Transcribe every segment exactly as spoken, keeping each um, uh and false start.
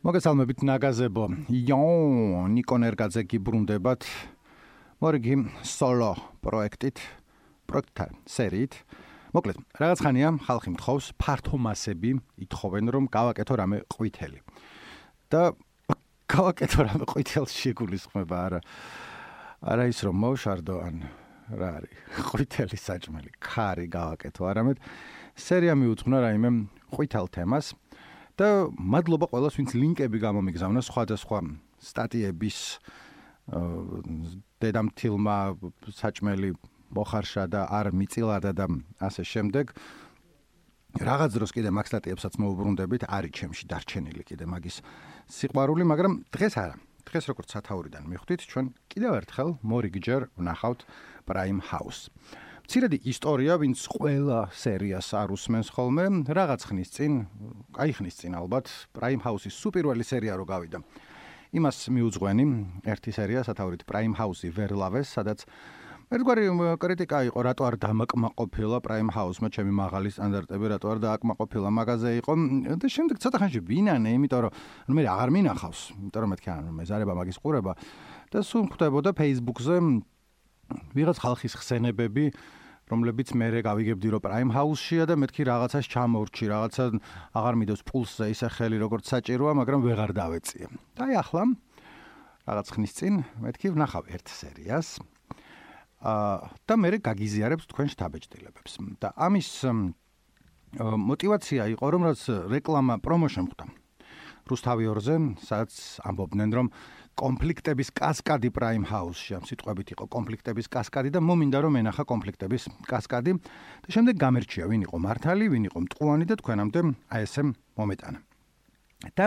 მოგესალმებით ნაგაზებო. იო, ნიკონ ერგაძე გიბრუნდებათ. მორიგი სოლო პროექტით, პროექტთან სერიით. მოკლედ, რაღაც ხანია ხალხი მთხოვს, ფართო მასები ითხოვენ, რომ გავაკეთო რამე ყვითელი. და გავაკეთო რამე ყვითელს შეგულისხმება არა. არა ის რომ მოვშარდო ან რა არის, ყვითელი საჭმელი, ქარი გავაკეთო, არამედ სერია მიუძღვნა რაიმე ყვითელ თემას. და მადლობა ყველას, ვინც ლინკები გამომიგზავნა სხვადასხვა სტატიების დედამთილმა საჭმელი მოხარშა და არ მიწილადა და ასე შემდეგ. რაღაც დროს კიდე მაგ სტატიებსაც მოუბრუნდებით, არის ჩემში დარჩენილი კიდე მაგის სიყვარული, მაგრამ დღეს არა. დღეს როგორც სათაურიდან მიხვდით, ჩვენ კიდევ ერთხელ მორიგჯერ ვნახავთ Prime House. მცირედი ისტორია, ვინც ყველა სერიას არ უსმენს ხოლმე, რაღაც ხნის წინ, აი ხნის წინ ალბათ, Prime House-ის სუპირველი სერია რო გავიდა. იმას მიუძღვენი ერთი სერია სათაურით Prime House-ი ვერ ლავეს, სადაც ერთგვარი კრიტიკა იყო, რატო არ დამაკმაყოფილა Prime House-მა ჩემი მაღალი სტანდარტები, რატო არ დააკმაყოფილა მაგაზე იყო და შემდეგ ცოტა ხანში ვინანე, იმიტომ რომ მე აღარ მინახავს, იმიტომ რომ მეთქი ან მეზარება მაგის ყურება და სულ ხვდებოდა Facebook-ზე ვიღაც ხალხის ხსენებები, რომლებიც მე გავიგებდი რომ Prime House-შია და მეთქი რაღაცას ჩამორჩი, რაღაცა აღარ მიდევს პულსზე ისე ხელი როგორც საჭიროა, მაგრამ ვეღარ დავეწიე. და აი ახლა რაღაც ხნის წინ მეთქი ვნახავ ერთ სერიას. აა და მე გაგიზიარებს თქვენ შთაბეჭდილებებს. და ამის მოტივაცია იყო რომ რაც რეკლამა პრომო შემხვდა. რუსთავი ორზე, სადაც ამბობდნენ რომ კონფლიქტების კასკადი Prime House-ში, ამ სიტყვებით იყო კონფლიქტების კასკადი და მომინდა რომ ენახა კონფლიქტების კასკადი და შემდეგ გამერჩია ვინ იყო მართალი, ვინ იყო მტყუანი და თქვენამდე აი ესე მომეტანა. და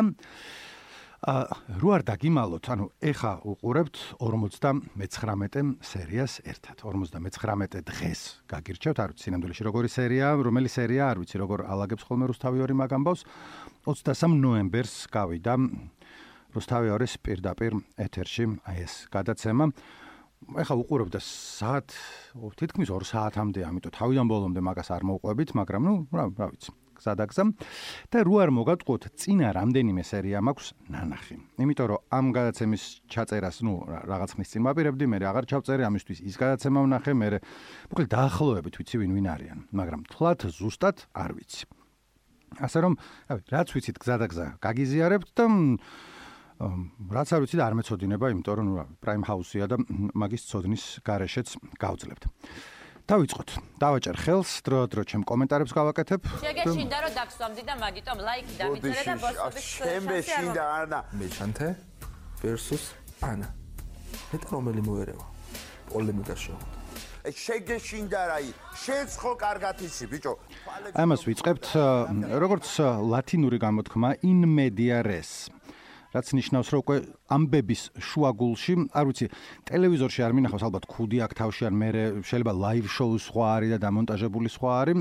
აა რო არ დაგიმალოთ, ანუ ეხა უყურებთ ორმოცდამეცხრამეტე სერიას ერთად. ორმოცდამეცხრამეტე დღეს გაგირჩევთ, არ ვიცი სინამდვილეში როგორი სერია, რომელი სერია, არ ვიცი როგორ ალაგებს ხოლმე რუსთავი ორი მაგ ამბავს. ოცდასამ ნოემბერს გავიდა რუსთავი ორის პირდაპირ ეთერში აი ეს გადაცემა. ეხა უყურებთ და საათ თითქმის ორ საათამდე, ამიტომ თავიდან ბოლომდე მაგას არ მოვყვებით, მაგრამ ნუ რა რა ვიცი. გზადაგზა და რო არ მოგატყუოთ, წინა რამდენიმე სერია მაქვს ნანახი. იმიტომ რომ ამ გადაცემის ჩაწერას, ნუ რაღაც ხნის წინ ვაპირებდი, მე აღარ ჩავწერე, ამისთვის ის გადაცემა ვნახე, მე მოკლედ დაახლოებით ვიცი ვინ ვინ არიან, მაგრამ თლათ ზუსტად არ ვიცი. ასე რომ, რავი, რაც ვიცით გზადაგზა გაგიზიარებთ და რაც არ ვიცით არ მეწოდინება, იმიტომ რომ ნუ Prime House-ია და მაგის ცოდნის გარეშეც გავძლებთ. დავიწყოთ. დავაჭერ ხელს, დრო-დრო ჩემ კომენტარებს გავაკეთებ. შეგეშინდა რომ დაგსვამდი და მაგიტომ ლაიქი დამიწერე და ბოსობის შემეშინდა ანა. მეჩანთე versus ანა. მეტ რომელი მოერევა? პოლემიკა შევხვდა. შეგეშინდა რაი, შენც ხო კარგად იცი, ბიჭო. ამას ვიწყებთ, როგორც ლათინური გამოთქმა in media res. რაც ნიშნავს, რომ უკვე ამბების შუაგულში, არ ვიცი, ტელევიზორში არ მინახავს, ალბათ ქუდი აქ თავში ან მე შეიძლება live show სხვა არის და დამონტაჟებული სხვა არის.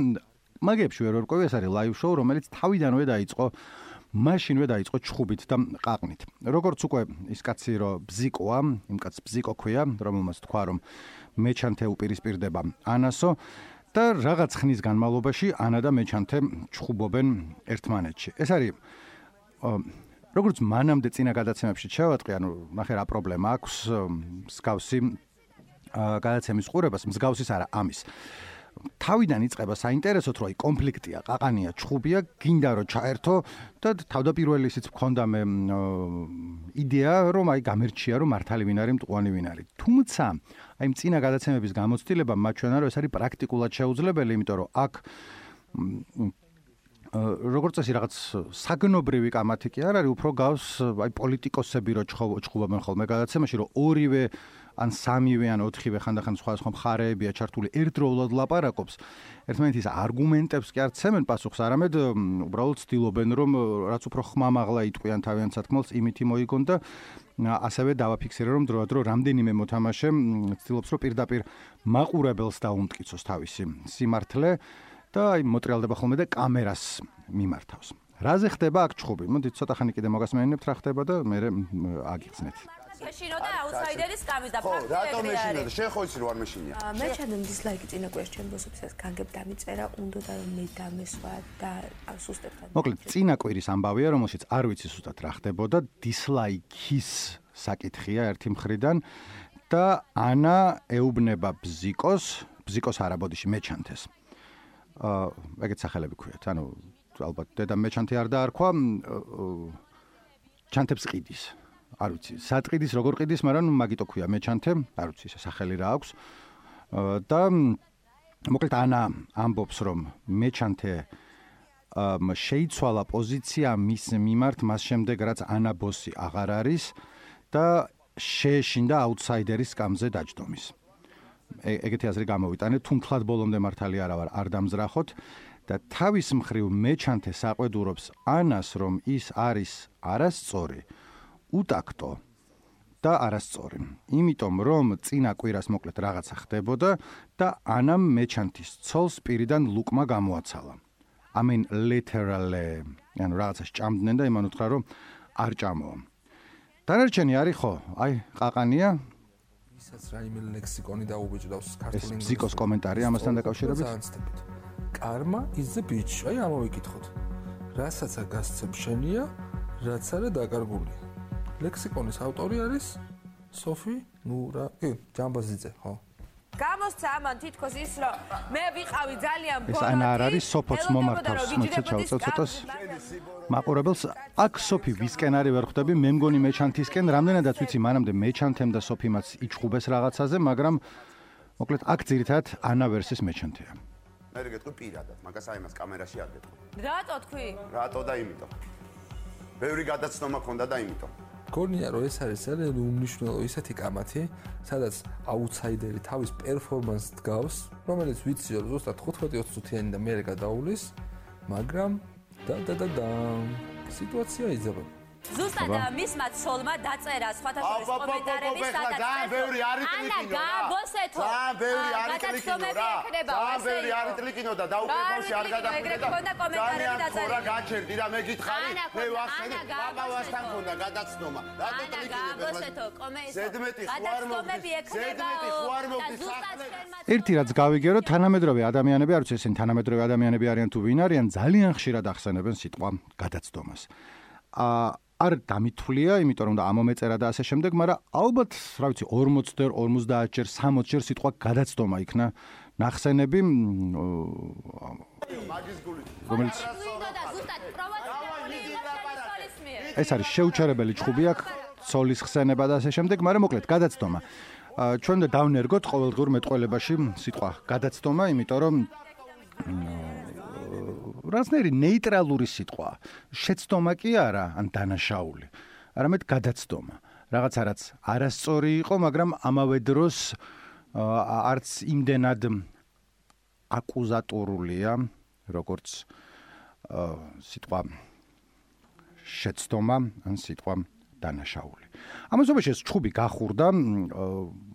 მაგებში ვერ ვერკვევი, ეს არის live show, რომელიც თავიდანვე დაიწყო, მაშინვე დაიწყო ჩხუბით და ყაყნით. როგორც უკვე ის კაცი რომ ბზიკოა, იმ კაცს ბზიკო ქვია, რომელმაც თქვა რომ მეჩანთე უპირისპირდება ანასო და რაღაც ხნის განმავლობაში ანა და მეჩანთე ჩხუბობენ ერთმანეთში. ეს არის როგორც მანამდე წინა გადაცემებში ჩავატყი, ანუ ნახე რა პრობლემა აქვს მსგავსი გადაცემის ყურებას, მსგავსის არა ამის. თავიდან იწყება საინტერესოდ, რომ აი კონფლიქტია, ყაყანია, ჩხუბია, გინდა რომ ჩაერთო და თავდაპირველი ისიც მქონდა მე იდეა, რომ აი გამერჩია, რომ მართალი ვინ არის, მტყუანი ვინ არის. თუმცა, აი წინა გადაცემების გამოცდილება მათ ჩვენ არის, ეს არის პრაქტიკულად შეუძლებელი, იმიტომ რომ აქ როგორც წესი რაღაც საგნობრივი კამათი კი არ არის, უფრო გავს აი პოლიტიკოსები რო ჩხუბობენ ხოლმე გადაცემაში, რომ ორივე ან სამივე ან ოთხივე ხანდახან სხვადასხვა მხარეებია ჩართული ერთდროულად ლაპარაკობს. ერთმანეთის არგუმენტებს კი არ ცემენ პასუხს, არამედ უბრალოდ ცდილობენ რომ რაც უფრო ხმამაღლა იტყვიან თავიანთ სათქმელს, იმითი მოიგონ და ასევე დავაფიქსირე რომ დროდადრო რამდენიმე მოთამაშე ცდილობს რომ პირდაპირ მაყურებელს დაუმტკიცოს თავისი სიმართლე და აი მოტრიალდება ხოლმე და კამერას მიმართავს. რაზე ხდება აქ ჩხუბი? მოდით ცოტა ხანი კიდე მოგასმენინებთ რა ხდება და მე აგიხსნეთ. შეშინო და აუთსაიდერის კამის და ხო, ფაქტი რატომ ეგრე მეშინო და არის. შენ ხო იცი რომ არ მეშინია? მე ჩანამ დისლაიკი წინა კვირაში ჩემ ბოსობისას განგებ დამიწერა, უნდა და რომ მე დამესვა და სუსტებთან. მოკლედ, წინა კვირის ამბავია, რომელშიც არ ვიცი სუსტად რა ხდებოდა, დისლაიკის საკითხია ერთი მხრიდან და ანა ეუბნება ბზიკოს, ბზიკოს არა ბოდიში მეჩანთეს. აა, ეგეთ სახელები ქვიათ. ანუ ალბათ დედა მეჩანთი არ დაარქვა, ჩანთებს ყიდის. არ ვიცი, სატყიდის როგორ ყიდის, მაგრამ მაგიტო ქვია მეჩანთე, არ ვიცი, ეს სახელი რა აქვს. და მოკლედ ანა ამბობს, რომ მეჩანთე შეიცვალა პოზიცია მის მიმართ მას შემდეგ, რაც ანა ბოსი აღარ არის და შეეშინდა აუთსაიდერის სკამზე დაჯდომის. ეგეთი აზრი გამოვიტანეთ, თუმთლად ბოლომდე მართალი არა ვარ, არ დამზრახოთ და თავის მხრივ მეჩანთე საყვედურობს ანას, რომ ის არის არასწორი, უტაქტო და არასწორი. იმიტომ რომ წინა კვირას მოკლედ რაღაცა ხდებოდა და ანამ მეჩანთის ცოლს პირიდან ლუკმა გამოაცალა. I mean literally, ანუ რაღაცა ჭამდნენ და იმან უთხრა რომ არ ჭამო. დანარჩენი არის ხო? აი, ყაყანია. ისაც რაიმე ლექსიკონი დაუბეჭდავს ქართული ეს ბზიკოს კომენტარი ამასთან დაკავშირებით. კარმა is the bitch. აი ამოვიკითხოთ. რასაც არ გასცემ შენია, რაც არა დაკარგული. ლექსიკონის ავტორი არის სოფი ნურა, კი, ჯამბაზიძე, ხო? გამოსცა ამან თითქოს ის რომ მე ვიყავი ძალიან ეს ანა არ არის სოფოც მომართავს, მოიცა ჩავწევ ცოტას მაყურებელს. აქ სოფი ვისკენ არის ვერ ხვდები, მე მგონი მეჩანთისკენ, რამდენადაც ვიცი, მანამდე მეჩანთემ და სოფიმაც იჩხუბეს რაღაცაზე, მაგრამ მოკლედ აქ ძირითადად ანა ვერსის მეჩანთეა. მე გეტყვი პირადად, მაგას აი მას კამერაში არ გეტყვი. რატო თქვი? რატო და იმიტომ. ბევრი გადაცნობა ქონდა და იმიტომ. გონია რომ ეს არის ძალიან უმნიშვნელო ისეთი კამათი, სადაც აუთსაიდერი თავის პერფორმანსს დგავს, რომელიც ვიცი რომ ზუსტად ხუთმეტი ოცი წუთიანი და მერე გადაულის, მაგრამ და და და და სიტუაცია იძება. ზუსტად მისმა ცოლმა დაწერა სხვათა შორის კომენტარები, სადაც ძალიან ბევრი არის კლიკინო რა. ანა გაბოსეთო. ძალიან ბევრი არის კლიკინო რა. ძალიან ბევრი არის კლიკინო და დაუყევაში არ გადახვიდე და ძალიან ხორა გაჩერდი რა მე გითხარი, მე ვახსენე, ბაბავასთან ქონდა გადაცნობა. რატო კლიკინებ გაბოსეთო კომენტარი. ზედმეტი ხوار მოვდი. ზედმეტი ხوار მოვდი სახლზე. ერთი რაც გავიგე, რომ თანამედროვე ადამიანები, არ ვიცი ესენი თანამედროვე ადამიანები არიან თუ ვინ არიან, ძალიან ხშირად ახსენებენ სიტყვა გადაცდომას. აა არ დამithვლია, იმიტომ რომ და ამომეწერა და ასე შემდეგ, მაგრამ ალბათ, რა ვიცი, ორმოცი ჯერ, ორმოცდაათ ჯერ, სამოცი ჯერ სიტყვა გადაცდომა იქნა ნახსენები, მაგის გული. რომელიც და ზუსტად პროვოცირებული იყო სოლის მიერ. ეს არის შეუჩერებელი ჭხუბი აქ, ცოლის ხსენება და ასე შემდეგ, მაგრამ მოკლედ გადაცდომა. ჩვენ და დავნერგოთ ყოველდღიურ მეტყველებაში სიტყვა გადაცდომა, იმიტომ რომ რასნერი ნეიტრალური სიტყვა. შეცდომა კი არა, ან დანაშაული. არამედ გადაცდომა. რაღაცა რაც არასწორი იყო, მაგრამ ამავე დროს არც იმდენად აკუზატორულია, როგორც სიტყვა შეცდომა, ან სიტყვა დანაშაული. ამასობაში ეს ჭხუბი გახურდა,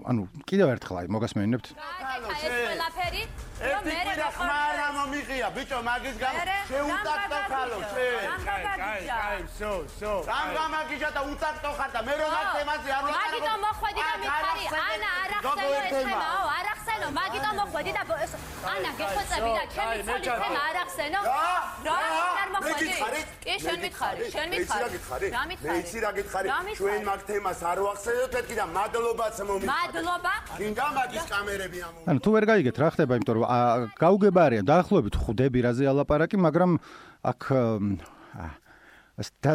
ანუ კიდევ ერთხელ აი მოგასმენინებთ. ეს ყველაფერი რომ მე და ხმარა მომიღია, ბიჭო, მაგის გამო შეუტაქტო ხალო, შენ. კაი, კაი, სო, სო. რამ გამაგიჟა და უტაქტო ხარ და მე რომ აქ თემაზე არ ვაკეთებ. მაგიტომ მოხვედი და მითხარი, ანა არ ახსენო ეს თემაო, არ ახსენო, მაგიტომ მოხვედი და ანა გეხვეწები და ჩემი ცოლის თემა არ ახსენო. რა? არ მოხვედი? კი, შენ მითხარი, შენ მითხარი. რა მითხარი? მე იცი რა გითხარი, ჩვენ მაგ თემას არ ვახსენებთ მეთქი და მადლობაც მომიწევ. მადლობა. გინდა მაგის კამერები ამო. ანუ თუ ვერ გაიგეთ რა ხდება, იმიტომ რომ გაუგება არიან დაახლოებით ხვდები რაზე ალაპარაკი, მაგრამ აქ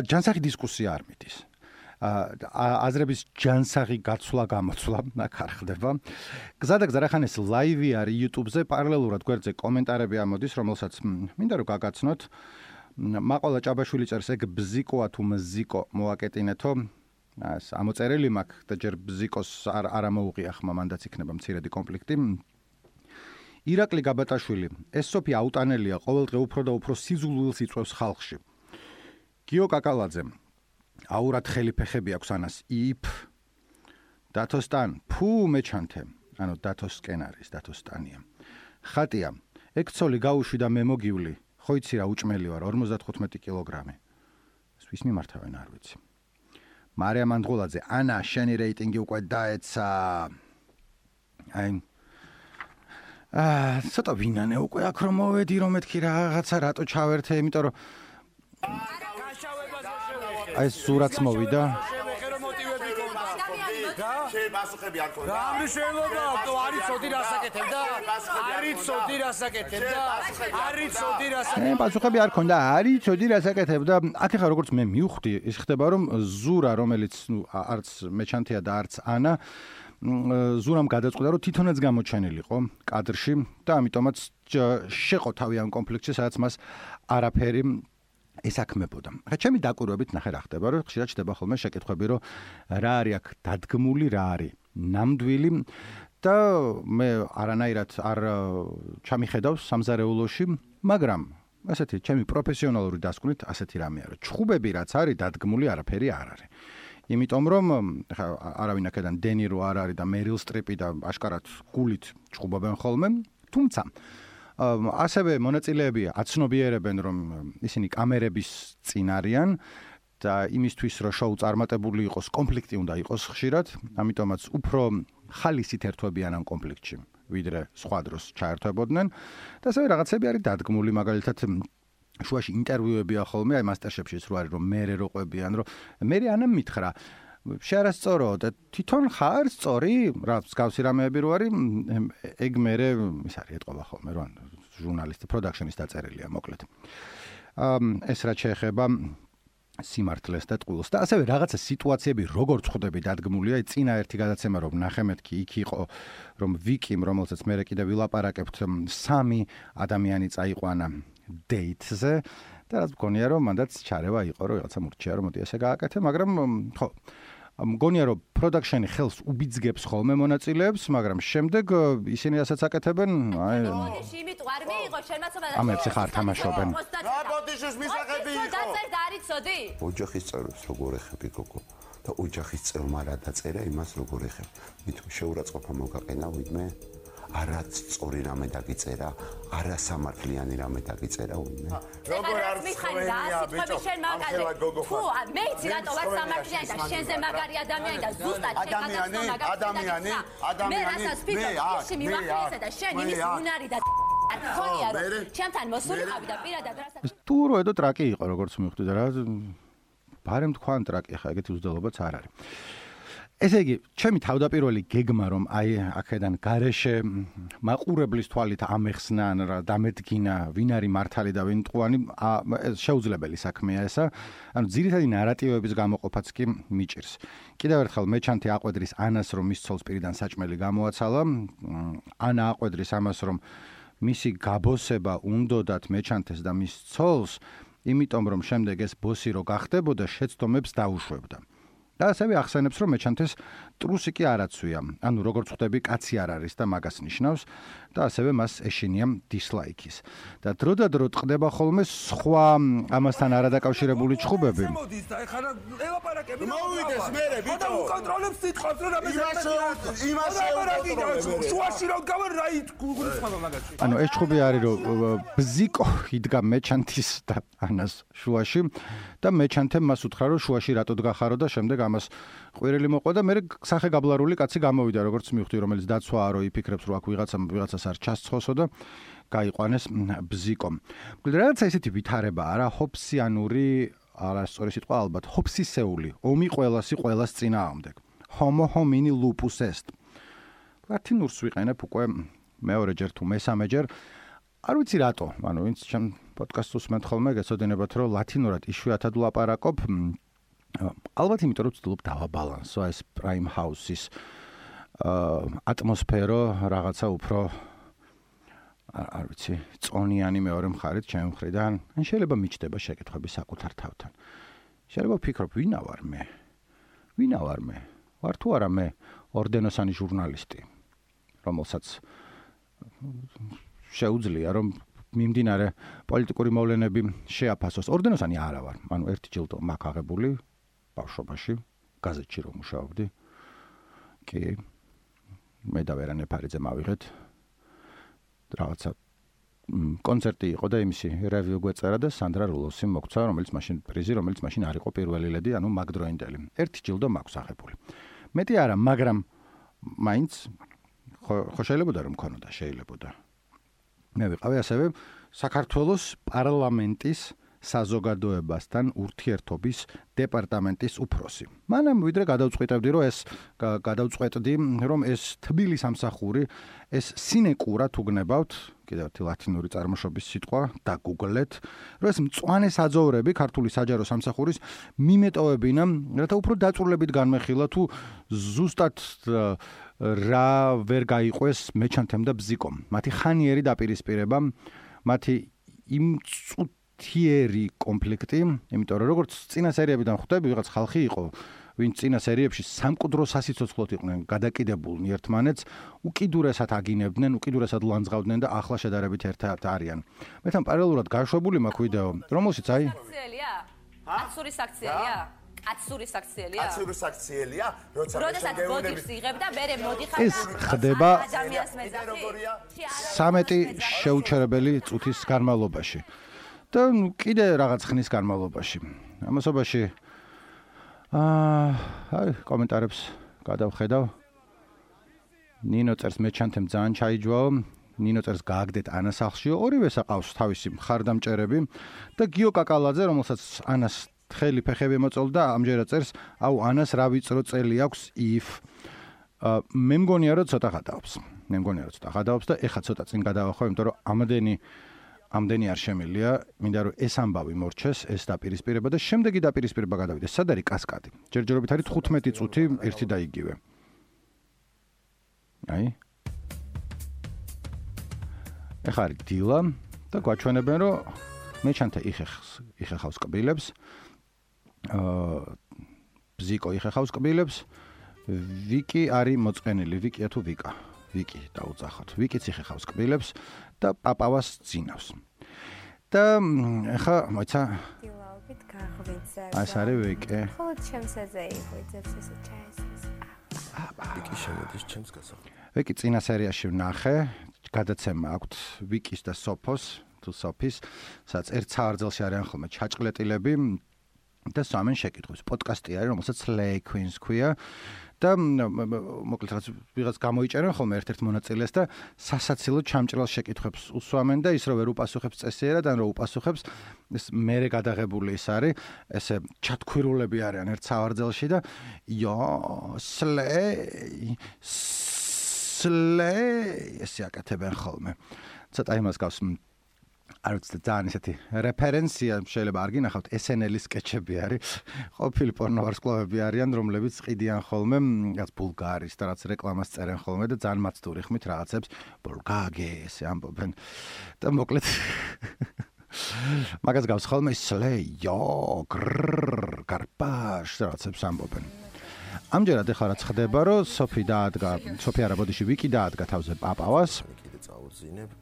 ჯანსაღი დისკუსია არ მიდის. აზრების ჯანსაღი გაცვლა გამოცვლა აქ არ ხდება. გზადაგზა რახან ეს ლაივი არის YouTube-ზე, პარალელურად გვერდზე კომენტარები ამოდის, რომელსაც მინდა რომ გაგაცნოთ. მაყოლა ჭაბაშვილი წერს, ეგ ბზიკოა თუ მზიკო მოაკეტინეთო. ეს ამოწერელი მაქვს და ჯერ ბზიკოს არ არ ამოუღია ხმა, მანდაც იქნება მცირედი კონფლიქტი. ირაკლი გაბატაშვილი, ეს სოფი აუტანელია, ყოველდღე უფრო და უფრო სიზულვილს იწვევს ხალხში. გიო კაკალაძე, აურად ხელი ფეხები აქვს ანას, იფ. დათოსტან, ფუ მეჩანთე, ანუ დათოსკენ არის, დათოსტანია. ხატია, ეგ ცოლი გაუშვი და მე მოგივლი, ხო იცი რა უჭმელი ვარ, ორმოცდათხუთმეტი კილოგრამი. ეს ვის მიმართავენ არ ვიცი. მარია მანდღულაძე, ანა, შენი რეიტინგი უკვე დაეცა. აი აა, ცოტა ვინანე უკვე აქ რომ მოვედი რომ მეთქი რაღაცა რატო ჩავერთე, იმიტომ რომ აი სურათს მოვიდა. შეებასუხები არ ქონდა. რა მნიშვნელობა აქვს? არის ცოდი რასაკეთებ და? არის ცოდი რასაკეთებ და? არის ცოდი რასაკეთებ? მე პასუხები არ ქონდა. არის ცოდი რასაკეთებ და აქ ახლა როგორც მე მივხვდი, ის ხდება რომ ზურა, რომელიც ნუ არც მეჩანთია და არც ანა ზურამ გადაწყვიტა რომ თვითონაც გამოჩენილიყო კადრში და ამიტომაც შეყო თავი ამ კონფლიქტში, სადაც მას არაფერი ესაქმებოდა. ხა ჩემი დაკვირვებით ნახე რა ხდება, რომ ხშირად ჩდება ხოლმე შეკითხვები, რომ რა არის აქ დადგმული, რა არის ნამდვილი და მე არანაირად არ ჩამიხედავს სამზარეულოში, მაგრამ ასეთი ჩემი პროფესიონალური დასკვნით ასეთი რამე არის. ჩხუბები რაც არის დადგმული, არაფერი არ არის. იმიტომ რომ ხა არავინ აქედან დენირო არ არის და მერილ სტრიპი და აშკარად გულით ჩხუბობენ ხოლმე, თუმცა ასევე მონაწილეები აცნობიერებენ რომ ისინი კამერების წინ არიან და იმისთვის რომ შოუ წარმატებული იყოს, კონფლიქტი უნდა იყოს ხშირად, ამიტომაც უფრო ხალისით ერთვებიან ამ კონფლიქტში, ვიდრე სხვა დროს ჩაერთვებოდნენ და ასევე რაღაცები არის დადგმული, მაგალითად შუაში ინტერვიუებია ხოლმე, აი მასტერშეფშიც რო არის რომ მერე რო ყვებიან, რომ მერე ანამ მითხრა შეარასწორო და თვითონ ხარ სწორი, რა მსგავსი რამეები რო არის, ეგ მერე ის არის ეტყობა ხოლმე, რომ ჟურნალისტი პროდაქშენის დაწერილია, მოკლედ. ეს რაც შეეხება სიმართლეს და ტყუილს და ასევე რაღაცა სიტუაციები როგორც ხვდები დადგმულია, აი წინა ერთი გადაცემა რომ ნახე მეთქი, იქ იყო რომ ვიკიმ, რომელსაც მე კიდე ვილაპარაკებთ, სამი ადამიანი წაიყვანა დეითზე და რაც მგონია რომ მანდაც ჩარევა იყო რომ რაღაცა მურჩია რომ მოდი ესე გააკეთე, მაგრამ ხო მგონია რომ პროდაქშენი ხელს უბიძგებს ხოლმე მონაწილეებს, მაგრამ შემდეგ ისინი რასაც აკეთებენ, აი იმით არ მიიღო შემაცომა და ამებს ხარ თამაშობენ. რა ბოდიშის მისაღები იყო? დაწერდა არის ცოდი? ოჯახის წევრებს როგორ ეხები გოგო? და ოჯახის წევრმა რა დაწერა, იმას როგორ ეხებ? მით შეურაცხყოფა მოგაყენა ვინმე? არა სწორი რამე დაგიწერა, არა სამართლიანი რამე დაგიწერა ვინმე. როგორ არ მიხარია ბიჭო? თუ მე იცი რატო ვარ სამართლიანი და შენზე მაგარი ადამიანი და ზუსტად შეგადაცნო მაგარი ადამიანი, ადამიანი, მე რასაც ფიქრობ, ისე მივახლიესა და შენ იმის უნარი და არ ხონია რომ ჩემთან მოსულიყავი და პირადად რასაც თუ რო ედო ტრაკი იყო როგორც მივხვდი და რა ბარემ თქვან ტრაკი ხა ეგეთი უძდელობაც არ არის. ესე იგი, ჩემი თავდაპირველი გეგმა რომ აი აქედან გარეშე მაყურებლის თვალით ამეხსნა რა დამედგინა ვინ არის მართალი და ვინ მტყუანი, შეუძლებელი საქმეა ესა. ანუ ძირითადი ნარატივების გამოყოფაც კი მიჭირს. კიდევ ერთხელ მეჩანთი აყვედრის ანას რომ მის ცოლს პირიდან საჭმელი გამოაცალა, ანა აყვედრის ამას რომ მისი გაბოსება უნდოდათ მეჩანთეს და მის ცოლს, იმიტომ რომ შემდეგ ეს ბოსი რო გახდებოდა, შეცდომებს დაუშვებდა. და ასევე ახსენებს რომ მეჩანთეს ტრუსი კი არაცვია. ანუ როგორც ხვდები, კაცი არ არის და მაგას ნიშნავს და ასევე მას ეშინია დისლაიქის. და დრო და დრო ტყდება ხოლმე სხვა ამასთან არადაკავშირებული ჩხუბები. მოდის და ეხლა ელაპარაკები მოვიდეს მერე ბიჭო. და უკონტროლებს სიტყვას რომ რამე იმას იმას შუაში რომ გავა რაით გულისხმობა მაგაში. ანუ ეს ჩხუბი არის რომ ბზიკო იდგა მეჩანთის და ანას შუაში და მეჩანთემ მას უთხრა რომ შუაში რატო დგახარო და შემდეგ ამას ყვირილი მოყვა და მე სახე გაბლარული კაცი გამოვიდა როგორც მივხვდი, რომელიც დაცვაა რომ იფიქრებს რომ აქ ვიღაცა ვიღაცას არ ჩასცხოსო და გაიყვანეს ბზიკო. რაღაცა ესეთი ვითარებაა რა, ჰობსიანური, არასწორი სიტყვა ალბათ, ჰობსისეული, ომი ყველასი ყველას წინააღმდეგ. homo homini lupus est. ლათინურს ვიყენებ უკვე მეორეჯერ თუ მესამეჯერ. არ ვიცი რატო, ანუ ვინც ჩემ პოდკასტს უსმენთ ხოლმე, გეცოდინებათ რომ ლათინურად იშვიათად ვლაპარაკობ. ალბათ იმიტომ რომ ვცდილობ დავაბალანსო ეს Prime House-ის ატმოსფერო რაღაცა უფრო არ ვიცი, წონიანი მეორე მხარით ჩემი მხრიდან. ან შეიძლება მიჩნდება შეკითხვები საკუთარ თავთან. შეიძლება ვფიქრობ, ვინა ვარ მე? ვინა ვარ მე? ვარ თუ არა მე ორდენოსანი ჟურნალისტი, რომელსაც შეუძლია რომ მიმდინარე პოლიტიკური მოვლენები შეაფასოს. ორდენოსანი არა ვარ. ანუ ერთი ჯილდო მაქვს აღებული ბავშვობაში, გაზეთში რომ მუშაობდი. კი მე და ვერანე ფარიძე მავიღეთ. რაღაცა კონცერტი იყო და იმისი რევიუ გვეწერა და სანდრა რულოსი მოგცა, რომელიც მაშინ პრიზი, რომელიც მაშინ არ იყო პირველი ლედი, ანუ მაგდროინდელი. ერთი ჯილდო მაქვს აღებული. მეტი არა, მაგრამ მაინც ხო შეიძლება რომ მქონოდა, შეიძლება. მე ვიყავი ასევე საქართველოს პარლამენტის საზოგადოებასთან ურთიერთობის დეპარტამენტის უფროსი. მანამ ვიდრე გადავწყვეტებდი, რომ ეს გადავწყვეტდი, რომ ეს თბილი სამსახური, ეს სინეკურა თუ გნებავთ, კიდევ ერთი ლათინური წარმოშობის სიტყვა, დაგუგლეთ, რომ ეს მწვანე საძოვრები ქართული საჯარო სამსახურის მიმეტოვებინა, რათა უფრო დაწვრილებით განმეხილა თუ ზუსტად რა ვერ გაიყვეს მეჩანთემ და ბზიკომ. მათი ხანიერი დაპირისპირება, მათი იმ თიერი კონფლიქტი, იმიტომ რომ როგორც წინა სერიებიდან ხვდები, ვიღაც ხალხი იყო, ვინც წინა სერიებში სამკვდრო სასიცოცხლოდ იყვნენ გადაკიდებულნი ერთმანეთს, უკიდურესად აგინებდნენ, უკიდურესად ლანძღავდნენ და ახლა შედარებით ერთად არიან. მე თან პარალელურად გაშვებული მაქვს ვიდეო, რომელშიც აი აქციელია? კაცური საქციელია? კაცური საქციელია? კაცური საქციელია? როცა ბოდიშს იღებ და მერე მოდიხარ და ეს ხდება ადამიანს მეძახი? სამეტი შეუჩერებელი წუთის განმავლობაში. და კიდე რაღაც ხნის განმავლობაში. ამასობაში აა აი კომენტარებს გადავხედავ. ნინო წერს მეჩანთემ ძალიან ჩაიჯვაო. ნინო წერს გააგდეთ ანას სახლშიო. ორივეს აყავს თავისი მხარდამჭერები და გიო კაკალაძე, რომელსაც ანას თხელი ფეხები მოწოლდა, ამჯერად წერს, აუ ანას რა ვიწრო წელი აქვს if მე მგონია რომ ცოტა გადაობს. მე მგონია რომ ცოტა გადაობს და ეხა ცოტა წინ გადავახო, იმიტომ რომ ამდენი ამდენი არ შემილია, მინდა რომ ეს ამბავი მორჩეს, ეს დაპირისპირება და შემდეგი დაპირისპირება გადავიდეს. სად არის კასკადი? ჯერჯერობით არის თხუთმეტი წუთი ერთი და იგივე. აი. ეხა არის დილა და გვაჩვენებენ რომ მეჩანთა იხეხს, იხეხავს კბილებს. აა ბზიკო იხეხავს კბილებს. ვიკი არის მოწყენილი, ვიკია თუ ვიკა? ვიკი დაუძახოთ. ვიკიც იხეხავს კბილებს და პაპავას ძინავს. და ეხა მოიცა დილაობით გაღვიძა. ეს არის ვიკი. ხო, ჩემს ეზე იღვიძებს ესე ჩაესეს. ვიკი შემოდის ჩემს გასახდ. ვიკი წინა სერიაში ვნახე, გადაცემა აქვს ვიკის და სოფოს, თუ სოფის, სადაც ერთ სავარძელში არიან ხოლმე ჩაჭყლეტილები და სამენ შეკითხვებს. პოდკასტი არის, რომელსაც Slay Queens ქვია. და მოკლედ რაღაც ვიღაც გამოიჭერენ ხოლმე ერთ-ერთ მონაწილეს და სასაცილო ჩამჭრელ შეკითხვებს უსვამენ და ის რო ვერ უპასუხებს წესიერად, ან რო უპასუხებს, ეს მერე გადაღებული ის არის, ესე ჩათქვირულები არიან ერთ სავარძელში და ია Slay Slay ესე აკეთებენ ხოლმე. ცოტა იმას გავს არ ვიცი ძალიან ისეთი რეფერენცია შეიძლება არ გინახავთ ეს ენ ელ-ის სკეჩები არის ყოფილი პორნოვარსკვლავები არიან რომლებიც ყიდიან ხოლმე რაც ბულგარის და რაც რეკლამას წერენ ხოლმე და ძალიან მაცდური ხმით რაღაცებს ბულგაგე ესე ამბობენ და მოკლედ მაგას გავს ხოლმე Slay yo grrr გარპაშ რაღაცებს ამბობენ ამჯერად ეხლა რაც ხდება რომ სოფი დაადგა სოფი არა ბოდიში ვიკი დაადგა თავზე პაპავას კიდე წაუძინებ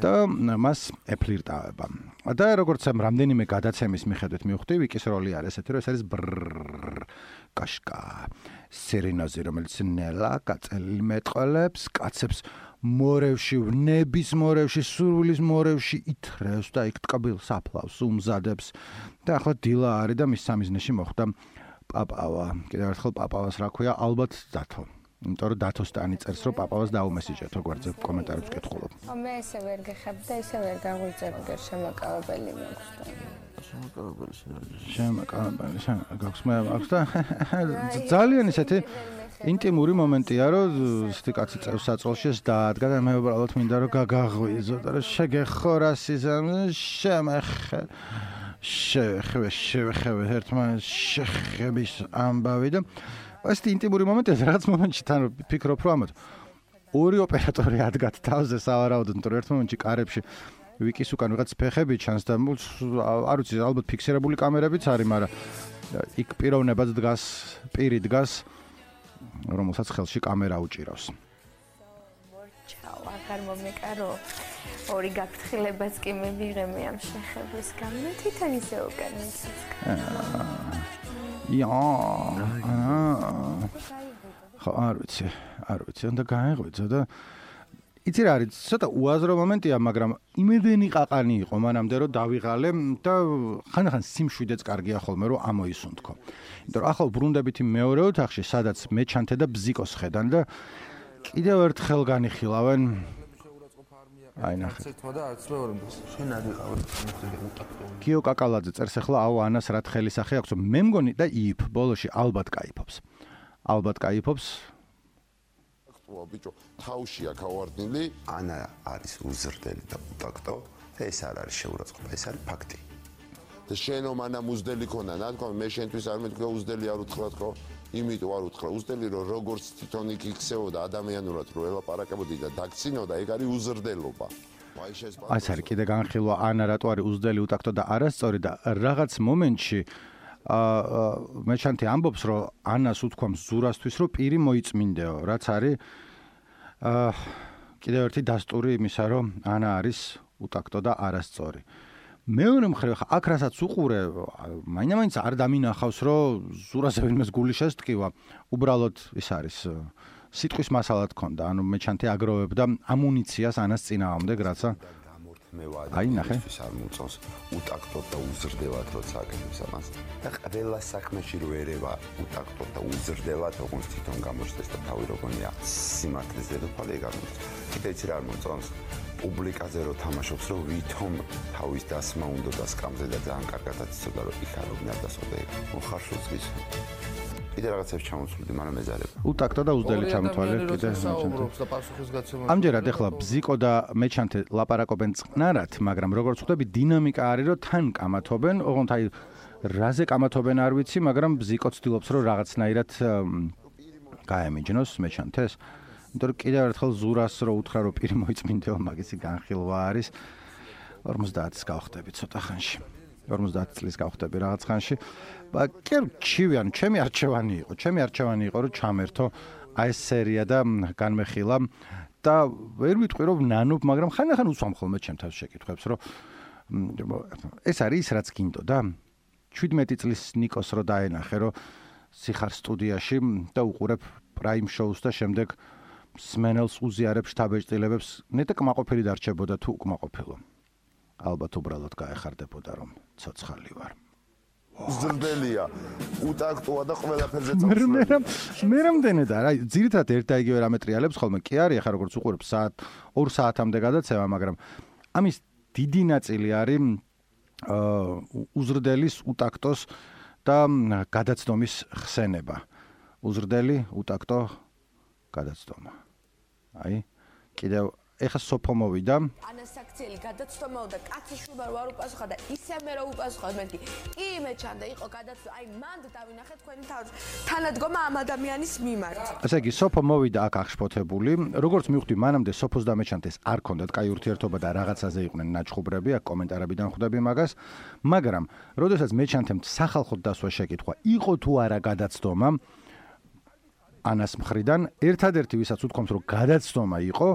და მას ეფლირტავება. და როგორც ამ რამდენიმე გადაცემის მიხედვით მივხვდი, ვიკის როლი არის ესეთი, რომ ეს არის კაშკა. სერენაზე, რომელიც ნელა კაწელი მეტყოლებს, კაცებს მორევში, ნების მორევში, სურვილის მორევში ითრევს და იქ ტკბილს აფლავს, უმზადებს. და ახლა დილა არის და მის სამიზნეში მოხვდა პაპავა. კიდევ ერთხელ პაპავას რა ქვია, ალბათ დათო. იმიტომ რომ დათოსტანი წერს რომ პაპავას დაუმესიჯეთ გვერდზე კომენტარებს ვკითხულობ. მე ესე ვერ გეხებ და ესე ვერ გაღვიძებ გერ შემაკავებელი მაქვს და შემაკავებელი შეიძლება. შემაკავებელი გაქვს მე აქვს და ძალიან ისეთი ინტიმური მომენტია რომ ისეთი კაცი წევს საწოლში ეს დაადგა და მე უბრალოდ მინდა რომ გაგაღვიძო და რომ შეგეხორას ისე შემეხე შეხე შეხე ერთმანეთს შეხების ამბავი და ეს ინტიმური მომენტია რაღაც მომენტში თან ფიქრობ რომ ამათ ორი ოპერატორი ადგათ თავზე სავარაუდოდ იმიტომ რომ ერთ მომენტში კარებში ვიკის უკან ვიღაც ფეხები ჩანს და არ ვიცი ალბათ ფიქსირებული კამერებიც არის მაგრამ იქ პიროვნებაც დგას პირი დგას რომელსაც ხელში კამერა უჭირავს მორჩაო აღარ მომეკარო ორი გაფრთხილებაც კი მე ვიღე მე ამ შეხების გამო თვითონ ისე უკან მიცის Ja. ხო არ ვიცი, არ ვიცი, უნდა გაეღვიძო და იცი რა არის, ცოტა უაზრო მომენტია, მაგრამ იმედენი ყაყანი იყო მანამდე რომ დავიღალე და ხანდახან სიმშვიდეც კარგია ხოლმე რომ ამოისუნთქო. იმიტომ რომ ახლა ბრუნდებით მეორე ოთახში, სადაც მეჩანთე და ბზიკოს ხედან და კიდევ ერთხელ განიხილავენ. აი ნახე. ერთმა და არც მეორე შენ არ იყავ უტაქტო. გიო კაკალაძე წერს ახლა აუ ანას რა თხელი სახე აქვს, მე მგონი და იიფ ბოლოში ალბათ кайფობს. ალბათ кайფობს. ვა ბიჭო, თავშია გავარდნილი, ანა არის უზრდელი და უტაქტო, და ეს არ არის შეურაცხყოფა, ეს არის ფაქტი. და შენო მანამ უზდელი ქონა, ნათქვა მე შენთვის არ მეთქვა უზდელი არ უთხრა თქო, იმიტომ არ უთხრა უზდელი რომ როგორც თვითონ იქ იქცეოდა ადამიანურად რომ ელაპარაკებოდი და დაგცინოდა, ეგ არის უზრდელობა. აი ეს არის კიდე განხილვა ანა რატო არის უზდელი უტაქტო და არასწორი და რაღაც მომენტში აა მეჩანთე ამბობს რომ ანას უთქვამს ზურასთვის რომ პირი მოიწმინდეო, რაც არის აა კიდევ ერთი დასტური იმისა რომ ანა არის უტაქტო და არასწორი. მეორე მხრივ ხა აქ რასაც უყურე, მაინც არ დამინახავს რომ ზურაზე ვინმეს გული შესტკივა, უბრალოდ ის არის სიტყვის მასალად ქონდა, ანუ მეჩანთე აგროვებდა ამუნიციას ანას წინააღმდეგ, რაცა აი ნახე არ მოწონს უტაქტოდ და უზრდელად როცა აკეთებს ამას და ყველა საქმეში რო ერევა უტაქტოდ და უზრდელად როგორც თვითონ გამოჩნდეს და თავი როგორია სიმართლეს დედოფალი ეგ არ მოწონს კიდე იცი რა არ მოწონს პუბლიკაზე რო თამაშობს რო ვითომ თავის დასმა უნდა და სკამზე და ძალიან კარგადაც იცოდა რომ იქ არ უნდა დასწოდე მოხარშულს გის კიდე რაღაცებს ჩამოსვლდი, მაგრამ ეზარება. უტაქტო და უზდელი ჩამოთვალე კიდე. ამჯერად ახლა ბზიკო და მეჩანთე ლაპარაკობენ წყნარად, მაგრამ როგორც ხვდები, დინამიკა არის, რომ თან კამათობენ, ოღონდ აი რაზე კამათობენ არ ვიცი, მაგრამ ბზიკო ცდილობს, რომ რაღაცნაირად გაემიჯნოს მეჩანთეს. იმიტომ რომ კიდევ ერთხელ ზურას რო უთხრა, რომ პირი მოიწმინდეო, მაგისი განხილვა არის. ორმოცდაათს გავხდები ცოტა ხანში. ორმოცდაათი წლის გავხდები რაღაც ხანში. კი ჩივი, ანუ ჩემი არჩევანი იყო, ჩემი არჩევანი იყო რომ ჩამერთო აი ეს სერია და განმეხილა და ვერ ვიტყვი რომ ნანობ, მაგრამ ხანდახან უსვამ ხოლმე ჩემ თავს შეკითხვებს, რომ ეს არის რაც გინდოდა. შვიდმეტი წლის ნიკოს რო დაენახე, რომ სიხარ სტუდიაში და უყურებ პრაიმ შოუს და შემდეგ სმენელს უზიარებ შთაბეჭდილებებს, ნეტა კმაყოფილი დარჩებოდა თუ უკმაყოფილო. ალბათ უბრალოდ გაეხარდებოდა რომ ცოცხალი ვარ. უზრდელია, უტაქტოა და ყველაფერზე წავშვა. მე მე რამდენი და რა, ძირითადად ერთ და იგივე რამე ტრიალებს ხოლმე. კი არის, ახლა როგორც უყურებ საათ ორ საათამდე გადაცემა, მაგრამ ამის დიდი ნაწილი არის აა უზრდელის, უტაქტოს და გადაცდომის ხსენება. უზრდელი, უტაქტო, გადაცდომა. აი, კიდევ ეხა სოფო მოვიდა. ანასაქციელი გადაცდომაო და კაციშვილმა რო არ უპასუხა და ისე მე რო უპასუხა მეთქი. კი მეჩანდა იყო გადაცდომა, აი მანდ დავინახე თქვენი თანადგომა ამ ადამიანის მიმართ. ასე იგი სოფო მოვიდა აქ აღშფოთებული. როგორც მივხვდი, მანამდე სოფოს და მეჩანთეს არ ქონდათ კაი ურთიერთობა და რაღაცაზე იყვნენ ნაჩხუბრები, აქ კომენტარებიდან ხვდები მაგას. მაგრამ, როდესაც მეჩანთემ სახალხოდ დასვა შეკითხვა, იყო თუ არა გადაცდომა ანას მხრიდან, ერთადერთი ვისაც უთქვამს, რომ გადაცდომა იყო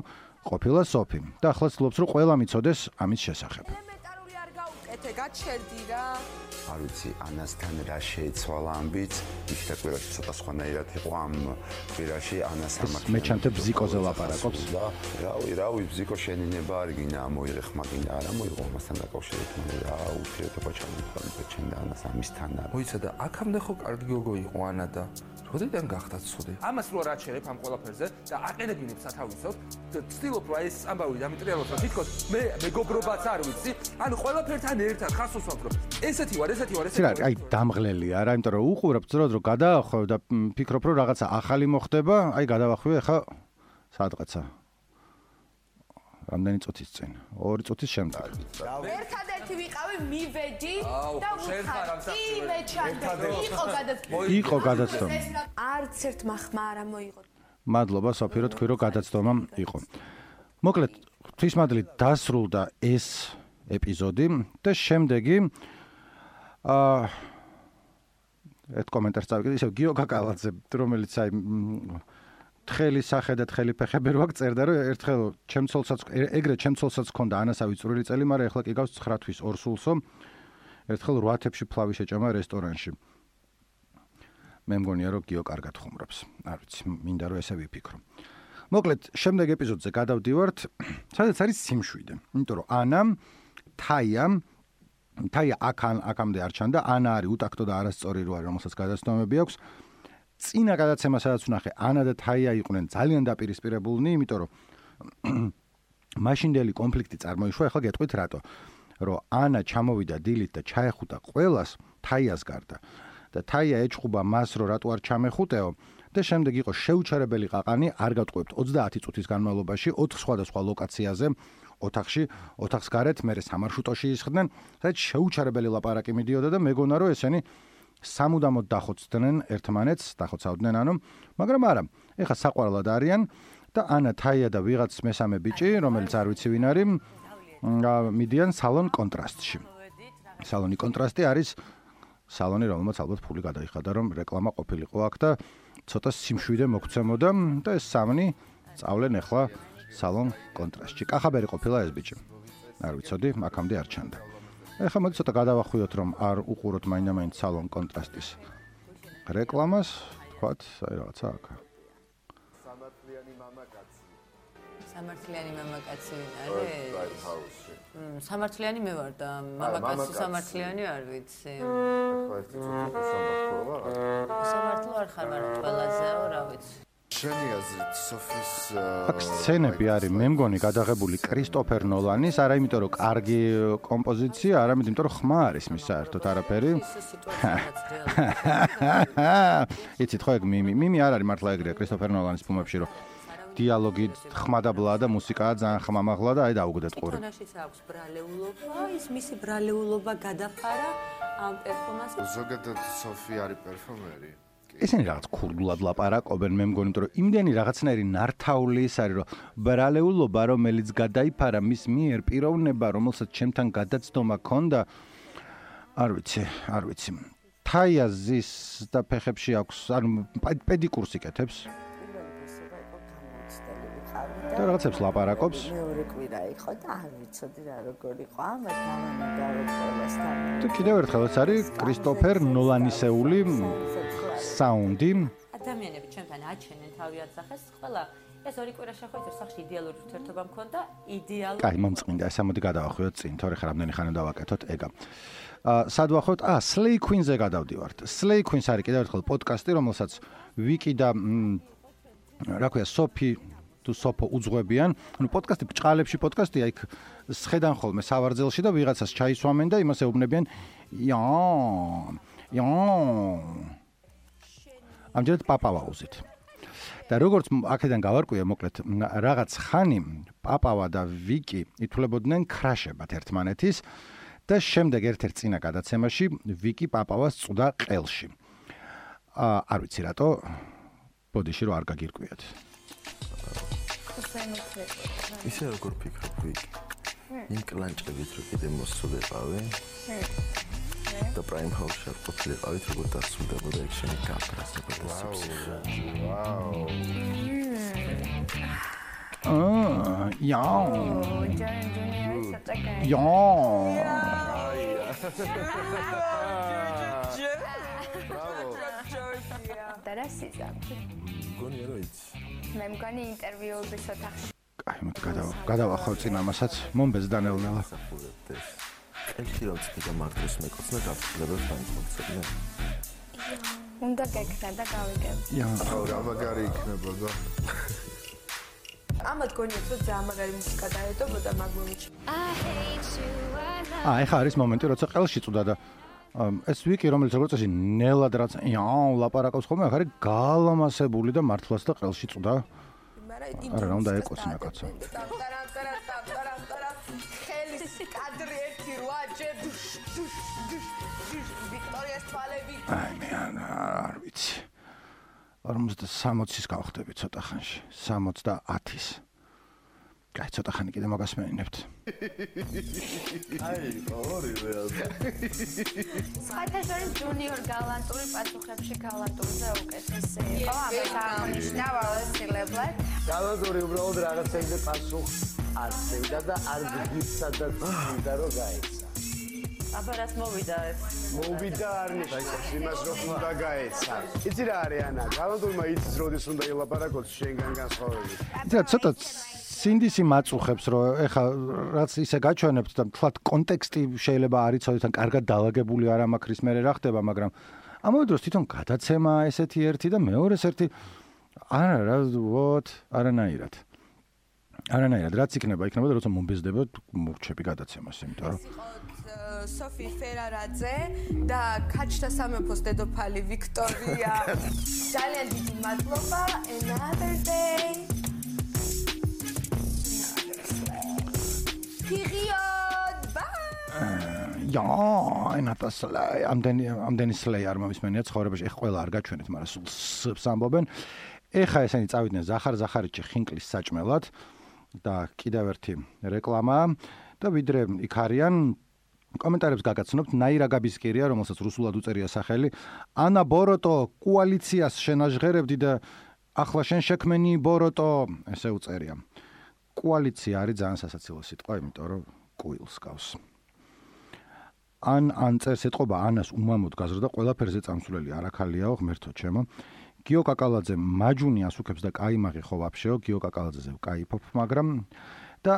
ყოფილა სოფი და ახლა ცდილობს რომ ყველა მიცოდეს ამის შესახებ. ელემენტარული არ გაუკეთე, გაჩერდი რა. არ ვიცი, ანასთან რა შეეცვალა ამბიც, ის და კვირაში ცოტა სხვანაირად იყო ამ კვირაში ანას ამას. მეჩანთე ბზიკოზე ლაპარაკობს. რავი, რავი, ბზიკო შენინება არ გინდა, მოიღე ხმა გინდა, არა მოიღო ამასთან დაკავშირებით, მაგრამ რა ურთიერთობა ჩამოყალიბდა ჩემ და ანას ამისთან. მოიცა და აქამდე ხო კარგი გოგო იყო ანა და როდიდან გახდა ცუდი? ამას რო რაჩერებ ამ ყველაფერზე და აყენებინებ სათავისოდ, ვცდილობ რა ეს ამბავი დამიტრიალოთ, რომ თითქოს მე მეგობრობაც არ ვიცი, ანუ ყველაფერთან ერთად ხას უსვამთ, რომ ესეთი ვარ, ესეთი ვარ, ესეთი ვარ. აი დამღლელია რა, იმიტომ რომ უყურებ ძროდ რომ გადაახვევ და ფიქრობ რომ რაღაცა ახალი მოხდება, აი გადავახვევი ახლა სადღაცა. რამდენი წუთის წინ? ორი წუთის შემდეგ. ერთადერთი ვიყავი, მივედი და ვუხარ. კი მეჩანდა, იყო გადაცდომა. იყო გადაცდომა. არც ერთმა ხმა არ მოიღო. მადლობა სოფი რომ თქვი რომ გადაცდომა იყო. მოკლედ, ღვთისმადლით დასრულდა ეს ეპიზოდი და შემდეგი აა ერთ კომენტარს წავიკიდე, ისევ გიო კაკალაძე, რომელიც აი თხელი სახე და თხელი ფეხები რო აქ წერდა რომ ერთხელ ჩემცოლსაც ეგრე ჩემცოლსაც ქონდა ანასავი წვრილი წელი, მაგრამ ეხლა კი გავს ცხრა თვის ორ სულსო. ერთხელ რვა თებში ფლავი შეჭამა რესტორანში. მე მგონია რომ გიო კარგად ხუმრობს. არ ვიცი, მინდა რომ ესე ვიფიქრო. მოკლედ, შემდეგ ეპიზოდზე გადავდივართ, სადაც არის სიმშვიდე. იმიტომ რომ ანამ, თაიამ, თაია აქან აქამდე არ ჩანდა, ანა არის უტაქტო და არასწორი რო არის, რომელსაც გადაცნომები აქვს. წინა გადაცემა სადაც ვნახე, ანა და თაია იყვნენ ძალიან დაპირისპირებულნი, იმიტომ რომ მაშინდელი კონფლიქტი წარმოიშვა, ახლა გეტყვით რატო. რომ ანა ჩამოვიდა დილით და ჩაეხუტა ყველას თაიას გარდა და თაია ეჭხუბა მას რომ რატო არ ჩამეხუტეო და შემდეგ იყო შეუჩერებელი ყაყანი, არ გავტყუებთ ოცდაათი წუთის განმავლობაში ოთხ სხვადასხვა ლოკაციაზე ოთახში, ოთახს გარეთ, მერე სამარშრუტოში ისხდნენ, სადაც შეუჩერებელი ლაპარაკი მიდიოდა და მეგონა რომ ესენი სამუდამოდ დახოცდნენ ერთმანეთს, დახოცავდნენ ანუ, მაგრამ არა, ეხა საყვარლად არიან და ანა, თაია და ვიღაც მესამე ბიჭი, რომელიც არ ვიცი ვინ არის, მიდიან სალონ კონტრასტში. სალონი კონტრასტი არის სალონი, რომელმაც ალბათ ფული გადაიხადა, რომ რეკლამა ყოფილიყო აქ და ცოტა სიმშვიდე მოგცემოდა და ეს სამნი წავლენ ახლა სალონ კონტრასტში. კახაბერი ყოფილა ეს ბიჭი. არ ვიცოდი, აქამდე არ ჩანდა. ეხლა მოდი ცოტა გადავახვიოთ, რომ არ უყუროთ მაინდა-მაინც სალონ კონტრასტის რეკლამას, თქვათ, აი რაღაცა აქ. სამართლიანი მამაკაცი არის? მმ, სამართლიანი მე ვარ და მამაკაცი სამართლიანი არ ვიცი. ახლა ერთი წუთი სამართლოა. სამართლო არ ხარ, მაგრამ ყველაზე რა ვიცი. შენი აზრით სოფის აქ სცენები არის, მე მგონი გადაღებული კრისტოფერ ნოლანის, არა იმიტომ რომ კარგი კომპოზიცია, არამედ იმიტომ რომ ხმა არის მის საერთოდ არაფერი. იცით ხო ეგ მიმი, მიმი არ არის მართლა ეგრეა კრისტოფერ ნოლანის ფილმებში რომ დიალოგი ხმა და ბლა და მუსიკაა ძალიან ხმამაღლა და აი დაუგდეთ ყური. თონაშიც აქვს ბრალეულობა, ის მისი ბრალეულობა გადაფარა ამ პერფორმანსს. ზოგადად სოფი არის პერფორმერი. ესენი რაღაც ქურდულად ლაპარაკობენ, მე მგონი რომ იმდენი რაღაცნაირი ნართაული ის არის რომ ბრალეულობა რომელიც გადაიფარა მის მიერ პიროვნება რომელსაც ჩემთან გადაცდომა ქონდა არ ვიცი, არ ვიცი. თაია ზის და ფეხებში აქვს, ანუ პედიკურს იკეთებს. და რაღაცებს ლაპარაკობს. მეორე კვირა იყო და არ ვიცოდი რა როგორ იყო. ამათ მამამა გავიყოლასთან. და კიდევ ერთხელ ეს არის კრისტოფერ ნოლანისეული საუნდი. ადამიანები ჩვენთან აჩენენ თავი აცახეს, ყველა ეს ორი კვირა შეხვედრა სახში იდეალური ურთიერთობა მქონდა, იდეალური. კაი, მომწყინდა, ეს ამოდი გადავახვიოთ წინ, თორე ხარ რამდენი ხანი დავაკეთოთ ეგა. აა, სად ვახოთ? აა, Slay Queen-ზე გადავდივართ. Slay Queen-ს არის კიდევ ერთხელ პოდკასტი, რომელსაც ვიკი და რა ქვია, სოფი თუ სოფო უძღვებიან. ანუ პოდკასტი ბჭყალებში პოდკასტია, იქ სხედან ხოლმე სავარძელში და ვიღაცას ჩაისვამენ და იმას ეუბნებიან ია ია ამჯერად პაპავაუზით. და როგორც აქედან გავარკვია, მოკლედ რაღაც ხანი პაპავა და ვიკი ითვლებოდნენ ქრაშებად ერთმანეთის და შემდეგ ერთ-ერთ წინა გადაცემაში ვიკი პაპავას წვდა ყელში. აა არ ვიცი რატო, ბოდიში რომ არ გაგირკვიათ. ისე როგორ ფიქრობ ვიკი? იმ კლანჭებით რო კიდე მოსულიყავი? და პრაიმ ჰაუსში არ ყოფილიყავით, როგორ დასრულდებოდა ეგ შენი კამერას, როგორ დასრულდებოდა. ვაუ. აა, ია. ია. დარასიზა. გონი რა იცი? მე მგონი ინტერვიუების ოთახში. აი, მოდი გადავა, გადავახავ წინ ამასაც, მომბეს დანეულნელა. ერთი რომ ცოტა მართვის მეკოცნა გაფრთხილებას დამხოცებია. უნდა გეკრა და გავიგებ. ია, რა მაგარი იქნებოდა. ამათ გონიათ რომ ძალიან მაგარი მუსიკა დაეტოვოდა მაგ მომენტში. აა, ეხა არის მომენტი, როცა ყელში წვდა და ეს ვიკი, რომელიც როგორც წესი ნელად რაც იაუ ლაპარაკობს ხოლმე, ახ არის გალამასებული და მართლაც და ყელში წვდა. არა, რა უნდა ეკოცნა კაცო. ხელის კადრი ერთი რვა ჯერ ვიქტორიას თვალები. აი, მე არ ვიცი. ორმოცდასამოცის გავხდები ცოტა ხანში. სამოცდაათის. კაი, ცოტა ხანი კიდე მაგას მეინებთ. აი, ორივე ასე. საერთოდ ჯუნიორ გალანტური პასუხებში გალანტურზე უკეთესი იყო. ამას აღნიშნა ვალესილებლად. გალანტური უბრალოდ რაღაცებზე პასუხს აცევდა და არ გიგიცდა და ცდა რომ გაიცა. აბა რაც მოვიდა ეს მოვიდა არ ნიშნავს იმას რომ უნდა გაეცა იცი რა არის ანა გალანდურმა იცის როდის უნდა ილაპარაკოს შენგან განსხვავებით იცი რა ცოტა სინდისი მაწუხებს რომ ეხა რაც ისე გაჩვენებთ და თქვათ კონტექსტი შეიძლება არ იცოდეთ ან კარგად დაალაგებული არ ამაქრის მე რა ხდება მაგრამ ამავე დროს თვითონ გადაცემა ესეთი ერთი და მეორეს ერთი არა რა ვოთ არანაირად არანაირად რაც იქნება იქნება და როცა მომბეზდება მოვჩები გადაცემას იმიტომ რომ სოფი ფერარაძე და ქაჩთა სამეფოს დედოფალი ვიქტორია ძალიან დიდი მადლობა another day period bye ja enata slay ამდენი ამდენი slay არ მომისმენია ცხოვრებაში ეხ ყველა არ გაჩვენეთ მაგრამ სულ სს ამბობენ ეხა ესენი წავიდნენ ზახარ ზახარიჩი ხინკლის საჭმელად და კიდევ ერთი რეკლამა და ვიდრე იქ არიან კომენტარებს გაგაცნობთ ნაირა გაბისკირია რომელსაც რუსულად უწერია სახელი ანა ბოროტო კოალიციას შენაჟღერებდი და ახლა შენ შექმენი ბოროტო ესე უწერია კოალიცია არის ძალიან სასაცილო სიტყვა იმიტომ რომ კუილს გავს ან ან წერს ეთყობა ანას უმამოდ გაზრდა ყველაფერზე წამსვლელი არაქალიაო ღმერთო ჩემო გიო კაკალაძე მაჯუნი ასუქებს და კაიმაღი ხო ვაფშეო გიო კაკალაძეზე ვკაიფობ მაგრამ და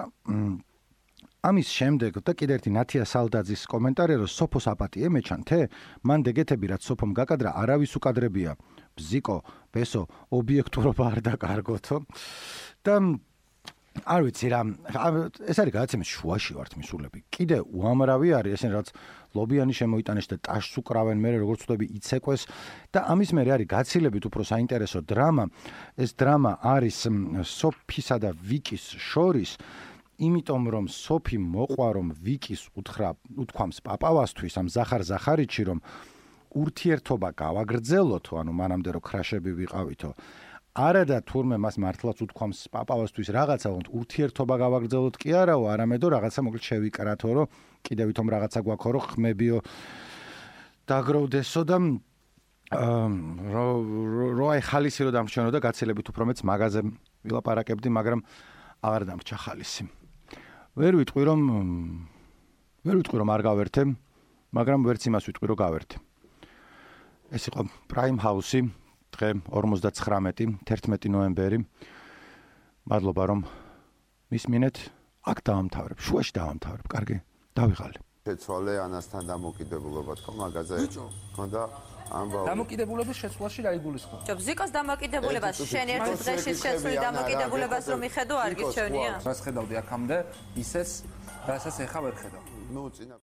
ამის შემდეგ და კიდევ ერთი ნათია სალდაძის კომენტარი რომ სოფოს აპატიე მეჩანთე მან დეგეთები რაც სოფომ გაკადრა არავის უკადრებია ბზიკო ბესო ობიექტურობა არ დაკარგოთო და არ ვიცი რა ეს არის გადაცემის შუაში ვართ მისულები კიდე უამრავი არის ესენ რაც ლობიანი შემოიტანეს და ტაშს უკრავენ მე როგორც ვთქვი იცეკვეს და ამის მერე არის გაცილებით უფრო საინტერესო დრამა ეს დრამა არის სოფისა და ვიკის შორის იმიტომ რომ სოფი მოყვა რომ ვიკის უთხრა უთქვამს პაპავასთვის ამ ზახარ ზახარიჩი რომ ურთიერთობა გავაგრძელოთო ანუ მანამდე რომ ქრაშები ვიყავითო არა და თურმე მას მართლაც უთქვამს პაპავასთვის რაღაცა ვონთ ურთიერთობა გავაგრძელოთ კი არაო არამედ რომ რაღაცა მოკლედ შევიკრათო რომ კიდევ ვითომ რაღაცა გვაქვს რომ ხმებიო დაგროვდესო და რო რო აი ხალისი რო დამრჩენო და გაცილებით უფრო მეც მაგაზე ვილაპარაკებდი მაგრამ აღარ დამრჩა ხალისი ვერ ვიტყვი რომ ვერ ვიტყვი რომ არ გავერთე მაგრამ ვერც იმას ვიტყვი რომ გავერთე ეს იყო პრაიმ ჰაუსი დღე ორმოცდაცხრამეტი თერთმეტი ნოემბერი მადლობა რომ მისმინეთ აქ დავამთავრებ შუაში დავამთავრებ კარგი დავიღალე შეცვალე ანასთან დამოკიდებულობა თქო მაგაზე ხონდა ამბავი დამოკიდებულების შეცვლაში რა იგულისხმება? ჯობ ზიკოს დამოკიდებულებას შენ ერთ დღეში შეცვლი დამოკიდებულებას რომ მიხედო არ გიჩვენია? რას ხედავდი აქამდე ისეც რასაც ეხა ვერ ხედავ. ნუ წინა